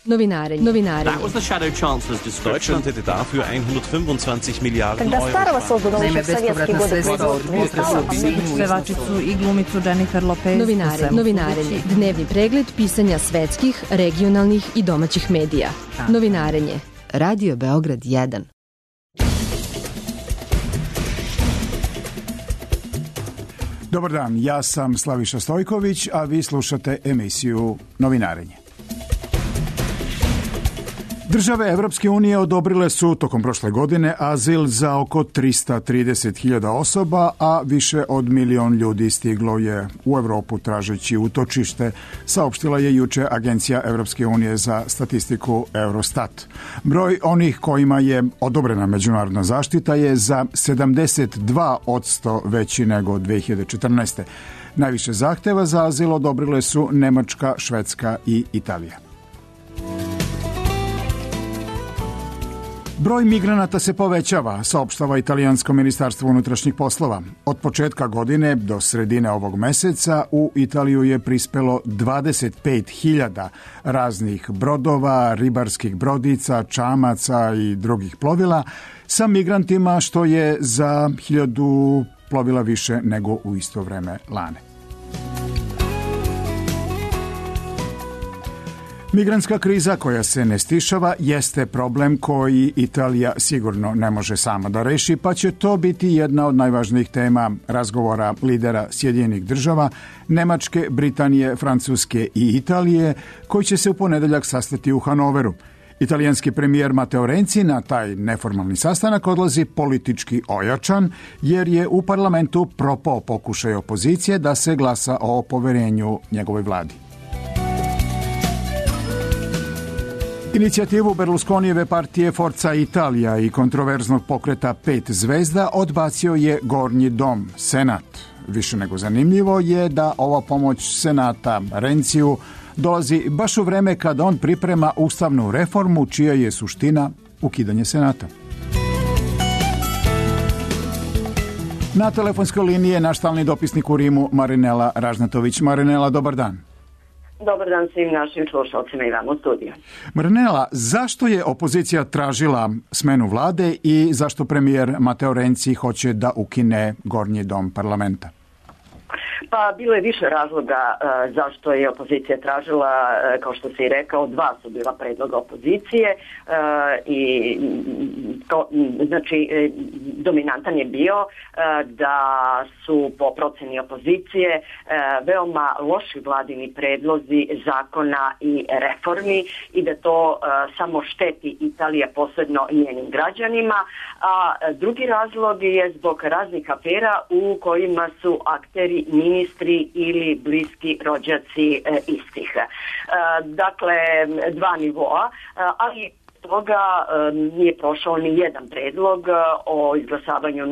Novinare. That was the shadow chancellor's description. Deutschland hätte dafür 125 Milliarden Когда старого Euro. создан Naime, еще в советские bespovratna годы sredstva od производства. pevačicu i glumicu Jennifer Lopez. Novinarenje. Dnevni pregled pisanja svetskih, regionalnih i domaćih medija. Novinarenje. Radio Beograd 1. Dobar dan, ja sam Slaviša Stojković, a vi slušate emisiju Novinarenje. Države Evropske unije odobrile su tokom prošle godine azil za oko 330.000 osoba, a više od 1 milion ljudi stiglo je u Evropu tražeći utočište, saopštila je juče Agencija Evropske unije za statistiku Eurostat. Broj onih kojima je odobrena međunarodna zaštita je za 72% veći nego 2014. Najviše zahteva za azil odobrile su Nemačka, Švedska i Italija. Broj migranata se povećava, saopštava Italijansko ministarstvo unutrašnjih poslova. Od početka godine do sredine ovog meseca u Italiju je prispelo 25.000 raznih brodova, ribarskih brodica, čamaca i drugih plovila sa migrantima, što je za 1.000 plovila više nego u isto vreme lane. Migrantska kriza koja se ne stišava jeste problem koji Italija sigurno ne može sama da reši, pa će to biti jedna od najvažnijih tema razgovora lidera Sjedinjenih država, Nemačke, Britanije, Francuske i Italije, koji će se u ponedeljak sastati u Hanoveru. Italijanski premijer Matteo Renzi na taj neformalni sastanak odlazi politički ojačan, jer je u parlamentu propao pokušaj opozicije da se glasa o poverenju njegovoj vladi. Inicijativu Berlusconijeve partije Forza Italia i kontroverznog pokreta 5 zvezda odbacio je Gornji dom, Senat. Više nego zanimljivo je da ova pomoć Senata Renziju dolazi baš u vreme kada on priprema ustavnu reformu čija je suština ukidanje Senata. Na telefonskoj liniji je naš stalni dopisnik u Rimu Marinela Ražnatović. Marinela, dobar dan. Dobar dan svim našim slušalcima i vam u studiju. Marinela, zašto je opozicija tražila smenu vlade i zašto premijer Matteo Renzi hoće da ukine Gornji dom parlamenta? Pa bilo je više razloga zašto je opozicija tražila, kao što si i rekao, 2 su bila predloga opozicije i znači dominantan je bio da su po proceni opozicije veoma loši vladini predlozi zakona i reformi i da to samo šteti Italija, posebno njenim građanima, a drugi razlog je zbog raznih afera u kojima su akteri ministri ili bliski rođaci istih. Dakle, 2 nivoa, ali toga nije prošao ni jedan predlog o izglasavanju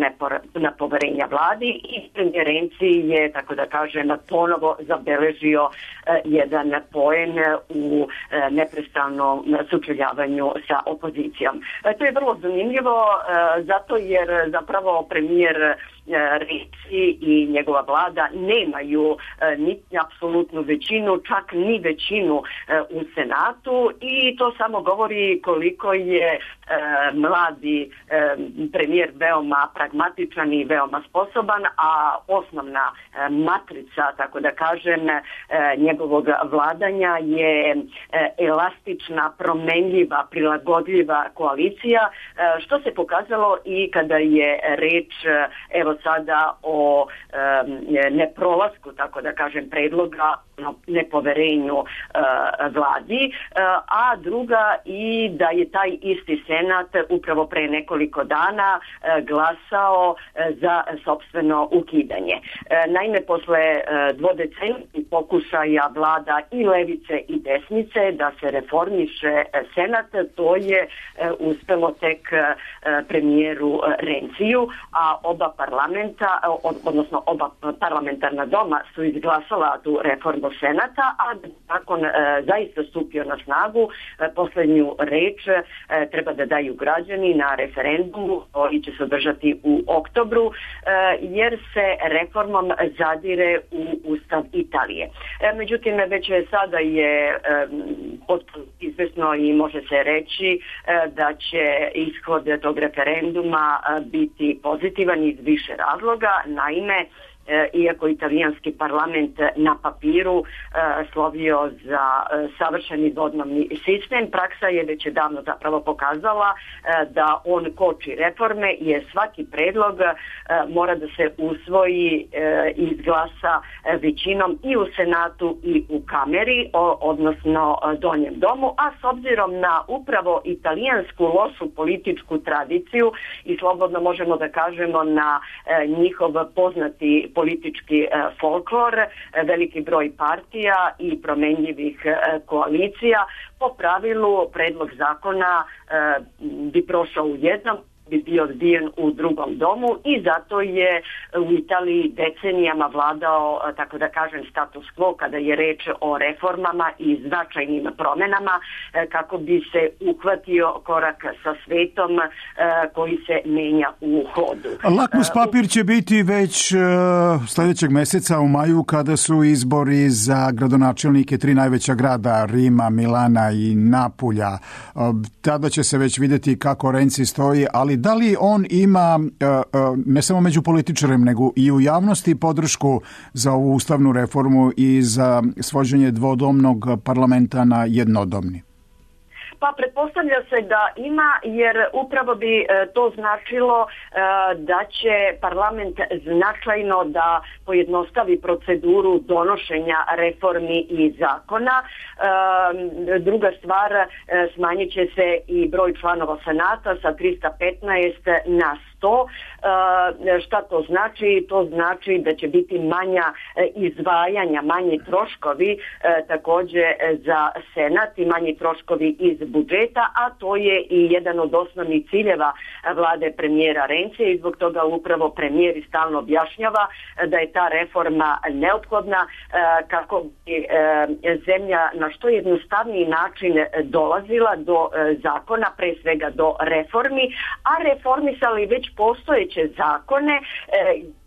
nepoverenja vladi i premijer Renzi je, tako da kažem, ponovo zabeležio jedan poen u neprestanom sučeljavanju sa opozicijom. To je vrlo zanimljivo zato jer zapravo premijer Renzi i njegova vlada nemaju ni apsolutnu većinu, čak ni većinu u Senatu i to samo govori koliko je mladi premijer veoma pragmatičan i veoma sposoban, a osnovna matrica, tako da kažem, njegovog vladanja je elastična, promenljiva, prilagodljiva koalicija, što se pokazalo i kada je reč evo sada o neprolasku, tako da kažem, predloga nepoverenju vladi, a druga i da je taj isti Senat upravo pre nekoliko dana glasao za sopstveno ukidanje. Naime, posle dvodecenijskih pokušaja vlada i levice i desnice da se reformiše Senat, to je uspelo tek premijeru Renziju, a oba parlamenta, odnosno oba parlamentarna doma su izglasala tu reformu Senata, a da zakon zaista stupio na snagu, poslednju reč treba da daju građani na referendumu koji će se održati u oktobru, jer se reformom zadire u Ustav Italije. Međutim, već sada je potpuno izvesno i može se reći da će ishod tog referenduma biti pozitivan iz više razloga. Naime, iako italijanski parlament na papiru slovio za savršeni dodnevni sistem, praksa je već davno zapravo pokazala da on koči reforme, jer svaki predlog mora da se usvoji i izglasa većinom i u Senatu i u Kameri, odnosno Donjem domu, a s obzirom na upravo italijansku lošu političku tradiciju i slobodno možemo da kažemo na njihov poznati politički folklor, veliki broj partija i promenljivih koalicija, po pravilu predlog zakona bi prošao u jednom, bi bio odbijen u drugom domu i zato je u Italiji decenijama vladao, tako da kažem, status quo kada je reč o reformama i značajnim promenama kako bi se uhvatio korak sa svetom koji se menja u hodu. Lakmus papir će biti već sljedećeg meseca u maju kada su izbori za gradonačelnike 3 najveća grada, Rima, Milana i Napulja. Tada će se već vidjeti kako Renzi stoji, ali da li on ima ne samo među političarem nego i u javnosti podršku za ovu ustavnu reformu i za svođenje dvodomnog parlamenta na jednodomni? Pa pretpostavlja se da ima, jer upravo bi to značilo da će parlament značajno da pojednostavi proceduru donošenja reformi i zakona. Druga stvar, smanjit će se i broj članova Senata sa 315 na 100. Šta to znači? To znači da će biti manja izdvajanja, manji troškovi također za Senat i manji troškovi iz budžeta, a to je i jedan od osnovnih ciljeva vlade premijera Renzija i zbog toga upravo premijer i stalno objašnjava da je ta reforma neophodna kako bi zemlja na što jednostavniji način dolazila do zakona, pre svega do reformi, a reformisali već postojeće zakone,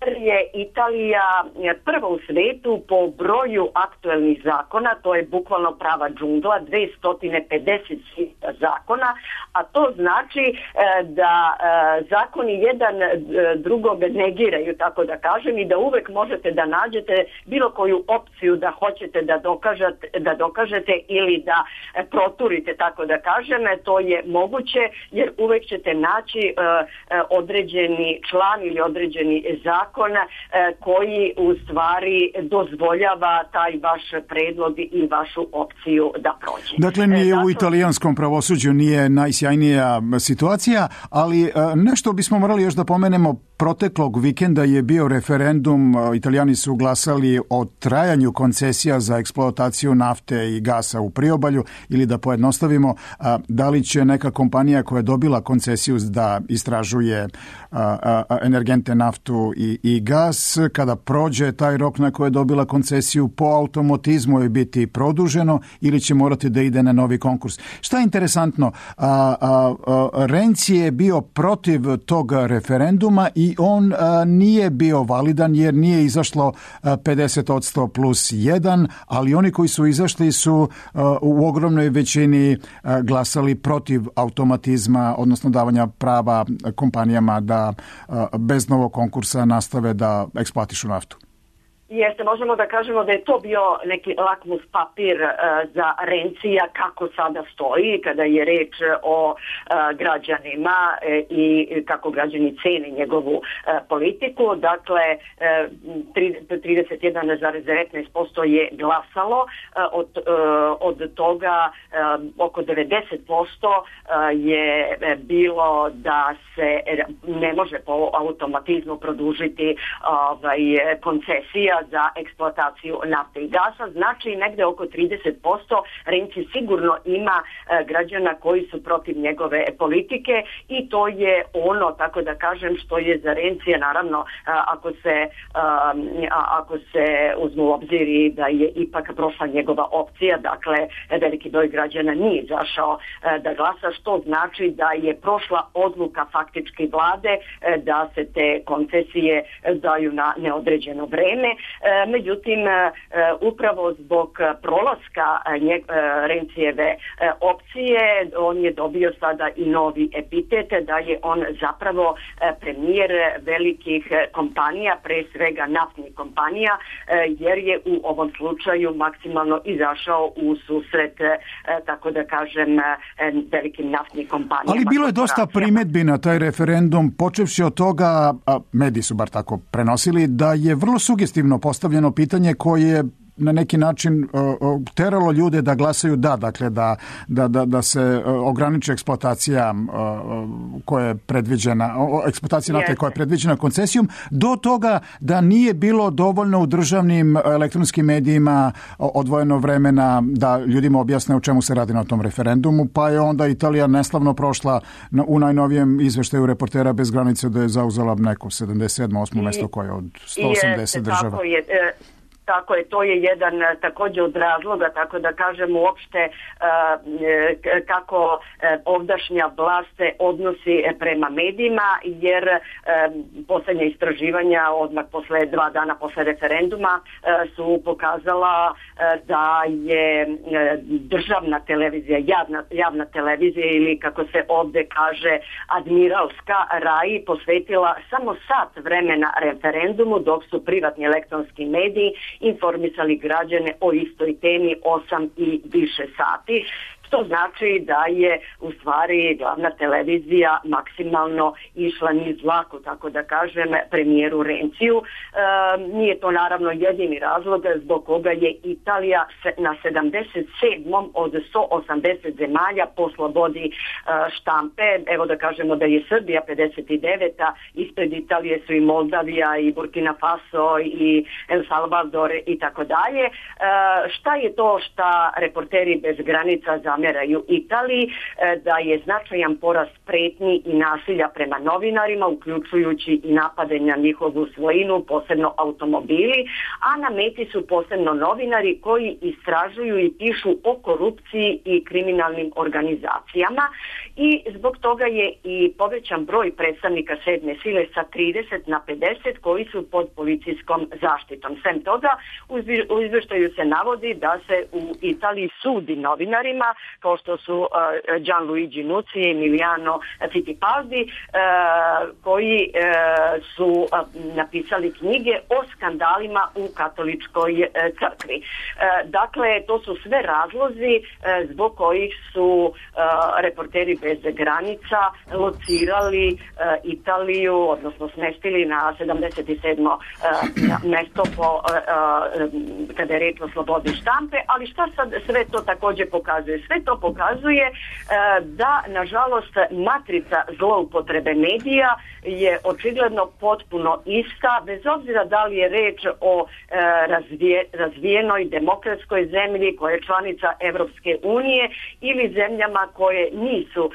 jer je Italija prva u svetu po broju aktuelnih zakona, to je bukvalno prava džungla, 250 zakona, a to znači da zakoni jedan drugog negiraju, tako da kažem, i da uvek možete da nađete bilo koju opciju da hoćete da dokažete ili da proturite, tako da kažem, to je moguće, jer uvek ćete naći određeni član ili određeni zakon koji u stvari dozvoljava taj vaš predlog i vašu opciju da prođe. Dakle, nije u italijanskom pravosuđu nije najsjajnija situacija, ali nešto bismo morali još da pomenemo. Proteklog vikenda je bio referendum, Italijani su glasali o trajanju koncesija za eksploataciju nafte i gasa u priobalju, ili da pojednostavimo, da li će neka kompanija koja je dobila koncesiju da istražuje energente, naftu i gas, kada prođe taj rok na koje je dobila koncesiju, po automatizmu je biti produženo ili će morati da ide na novi konkurs. Šta je interesantno, Renzi je bio protiv tog referenduma i on nije bio validan jer nije izašlo 50% plus 1, ali oni koji su izašli su u ogromnoj većini glasali protiv automatizma, odnosno davanja prava kompanijama da bez novog konkursa nastave da eksploatišu naftu. Jeste, možemo da kažemo da je to bio neki lakmus papir za Renzija kako sada stoji kada je reč o građanima i kako građani cene njegovu politiku. Dakle, 31,19% je glasalo, od toga oko 90% je bilo da se ne može po automatizmu produžiti koncesija za eksploataciju nafte i gasa. Znači negde oko 30% Renci sigurno ima građana koji su protiv njegove politike i to je ono, tako da kažem, što je za Rencija, naravno ako se uzmu u obzir i da je ipak prošla njegova opcija, dakle veliki broj građana nije izašao da glasa, što znači da je prošla odluka faktički vlade da se te koncesije daju na neodređeno vreme. Međutim, upravo zbog prolaska Rencijeve opcije on je dobio sada i novi epitet da je on zapravo premijer velikih kompanija, pre svega naftnih kompanija, jer je u ovom slučaju maksimalno izašao u susret, tako da kažem, velikim naftnim kompanijama. Ali bilo je dosta primjedbi na taj referendum, počevši od toga, a mediji su bar tako prenosili, da je vrlo sugestivno postavljeno pitanje koje na neki način teralo ljude da glasaju da, dakle da se ograniči eksploatacija koja je predviđena, eksploatacija nafte koja je predviđena koncesijom, do toga da nije bilo dovoljno u državnim elektronskim medijima odvojeno vremena da ljudima objasne o čemu se radi na tom referendumu, pa je onda Italija neslavno prošla u najnovijem izveštaju Reportera bez granice da je zauzela neko 77. 8. mesto koje je od 180 država. Tako je, to je jedan također od razloga, tako da kažem uopšte kako ovdašnja vlast se odnosi prema medijima, jer posljednja istraživanja odmah posle 2 dana posle referenduma su pokazala da je državna televizija, javna televizija ili kako se ovdje kaže admiralska RAI posvetila samo sat vremena referendumu, dok su privatni elektronski mediji informisali građane o istoj temi 8 i više sati. To znači da je u stvari glavna televizija maksimalno išla niz vlaku, tako da kažem, premijeru Renciju. Nije to naravno jedini razlog zbog koga je Italija na 77. od 180 zemalja po slobodi štampe. Evo da kažemo da je Srbija 59. Ispred Italije su i Moldavija i Burkina Faso i El Salvador i tako dalje. Šta je to šta Reporteri bez granica zameraju Italiji? Da je značajan porast pretnji i nasilja prema novinarima, uključujući i napade na njihovu svojinu, posebno automobili, a na meti su posebno novinari koji istražuju i pišu o korupciji i kriminalnim organizacijama, i zbog toga je i povećan broj predstavnika sedme sile sa 30 na 50 koji su pod policijskom zaštitom. Sem toga, u izvještaju se navodi da se u Italiji sudi novinarima kao što su Gianluigi Nucci i Emiliano Fittipaldi, koji su napisali knjige o skandalima u katoličkoj crkvi. Dakle, to su sve razlozi zbog kojih su Reporteri bez granica locirali Italiju, odnosno smestili na 77. mesto kada je reč o slobodi štampe. Ali šta sad sve to također pokazuje? Sve to pokazuje da, nažalost, matrica zloupotrebe medija je očigledno potpuno ista, bez obzira da li je reč o razvijenoj demokratskoj zemlji koja je članica Evropske unije ili zemljama koje nisu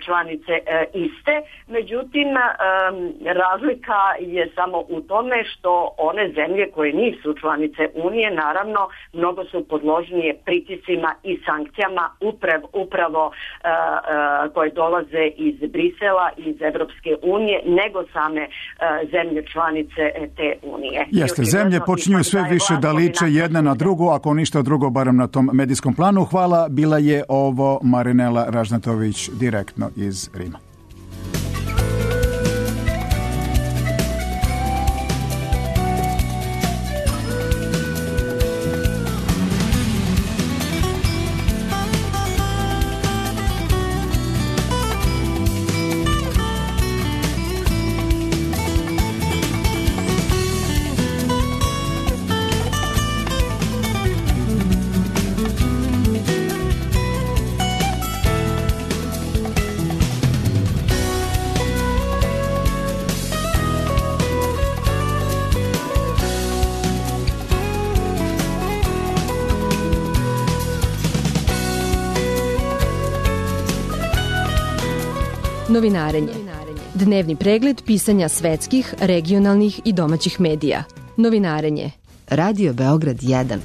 članice iste. Međutim, razlika je samo u tome što one zemlje koje nisu članice unije, naravno, mnogo su podložnije pritiscima i sankcijama upravo koje dolaze iz Brisela, iz Evropske unije, nego same zemlje članice te unije. Jeste, zemlje počinju sve više da liče jedna na drugu, ako ništa drugo, barem na tom medijskom planu. Hvala, bila je ovo Marinela Ražnatović direktno iz Rima. Novinarenje. Dnevni pregled pisanja svetskih, regionalnih i domaćih medija. Novinarenje. Radio Beograd 1.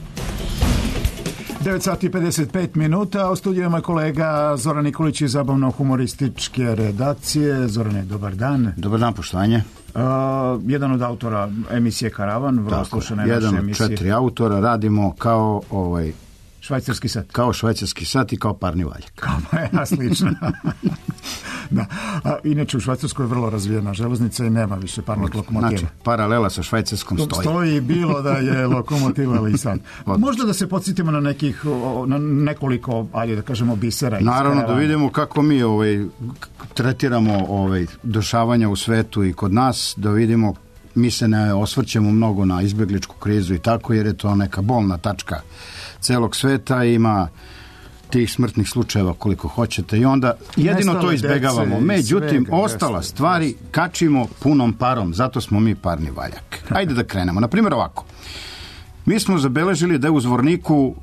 9 sati 55 minuta, u studijama kolega Zoran Nikolić iz zabavno-humorističke redakcije. Zorane, dobar dan. Dobar dan, poštovanje. Jedan od autora emisije Karavan, vrlo slušana je naša emisija. Jedan od 4 autora, radimo kao švajcarski sat. Kao švajcarski sat i kao parni valjak. Slično. Da. Inače u Švajcarskoj je vrlo razvijena železnica i nema više parnih lokomotiva. Znači, paralela sa Švajcarskom stoji. Stoji bilo da je lokomotiva, ali i sad. Možda da se podsjetimo na na nekoliko, ajde da kažemo, bisera. Naravno, da vidimo kako mi tretiramo dešavanja u svetu i kod nas, da vidimo, mi se ne osvrćemo mnogo na izbegličku krizu i tako, jer je to neka bolna tačka celog sveta, ima tih smrtnih slučajeva koliko hoćete i onda jedino to izbegavamo. Međutim, ostala stvari kačimo punom parom, zato smo mi parni valjak. Ajde da krenemo. Naprimjer ovako. Mi smo zabeležili da je u Zvorniku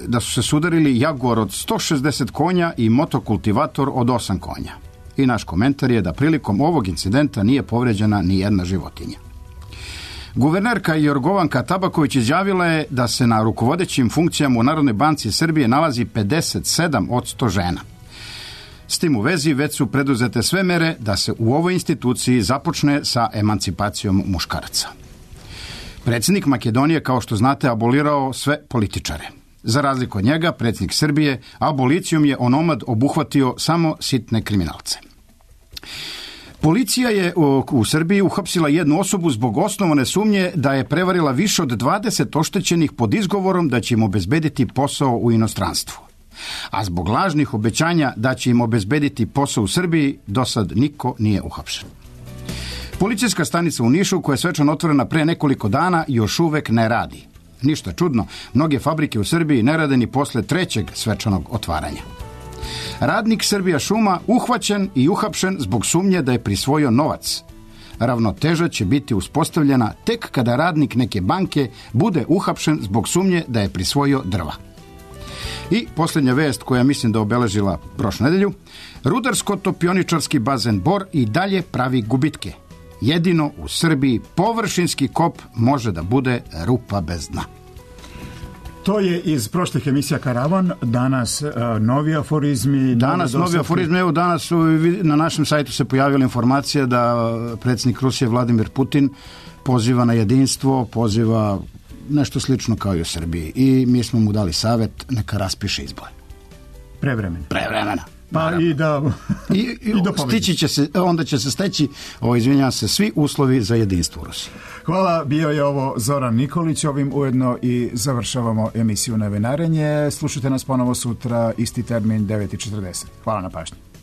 da su se sudarili Jaguar od 160 konja i motokultivator od 8 konja. I naš komentar je da prilikom ovog incidenta nije povređena ni jedna životinja. Guvernerka Jorgovanka Tabaković izjavila je da se na rukovodećim funkcijama u Narodnoj banci Srbije nalazi 57 od 100 žena. S tim u vezi već su preduzete sve mere da se u ovoj instituciji započne sa emancipacijom muškaraca. Predsjednik Makedonije, kao što znate, abolirao sve političare. Za razliku od njega, predsjednik Srbije abolicijom je onomad obuhvatio samo sitne kriminalce. Policija je u Srbiji uhapsila jednu osobu zbog osnovane sumnje da je prevarila više od 20 oštećenih pod izgovorom da će im obezbediti posao u inostranstvu. A zbog lažnih obećanja da će im obezbediti posao u Srbiji, do sad niko nije uhapšen. Policijska stanica u Nišu, koja je svečano otvorena pre nekoliko dana, još uvek ne radi. Ništa čudno, mnoge fabrike u Srbiji ne rade ni posle 3. svečanog otvaranja. Radnik Srbija šuma uhvaćen i uhapšen zbog sumnje da je prisvojio novac. Ravnoteža će biti uspostavljena tek kada radnik neke banke bude uhapšen zbog sumnje da je prisvojio drva. I posljednja vest koja mislim da obeležila prošlu nedelju. Rudarsko-topioničarski bazen Bor i dalje pravi gubitke. Jedino u Srbiji površinski kop može da bude rupa bez dna. To je iz prošlih emisija Karavan, danas novi aforizmi. Danas novi aforizmi, evo danas na našem sajtu se pojavila informacija da predsjednik Rusije Vladimir Putin poziva na jedinstvo, poziva nešto slično kao i u Srbiji. I mi smo mu dali savjet, neka raspiše izbore. Prevremena. Pa i da stići će se, onda će se steći, izvinjavam se, svi uslovi za jedinstvo u Rusiji. Hvala, bio je ovo Zoran Nikolić, ovim ujedno i završavamo emisiju Novinarenje. Slušajte nas ponovo sutra, isti termin, 9:40. Hvala na pažnji.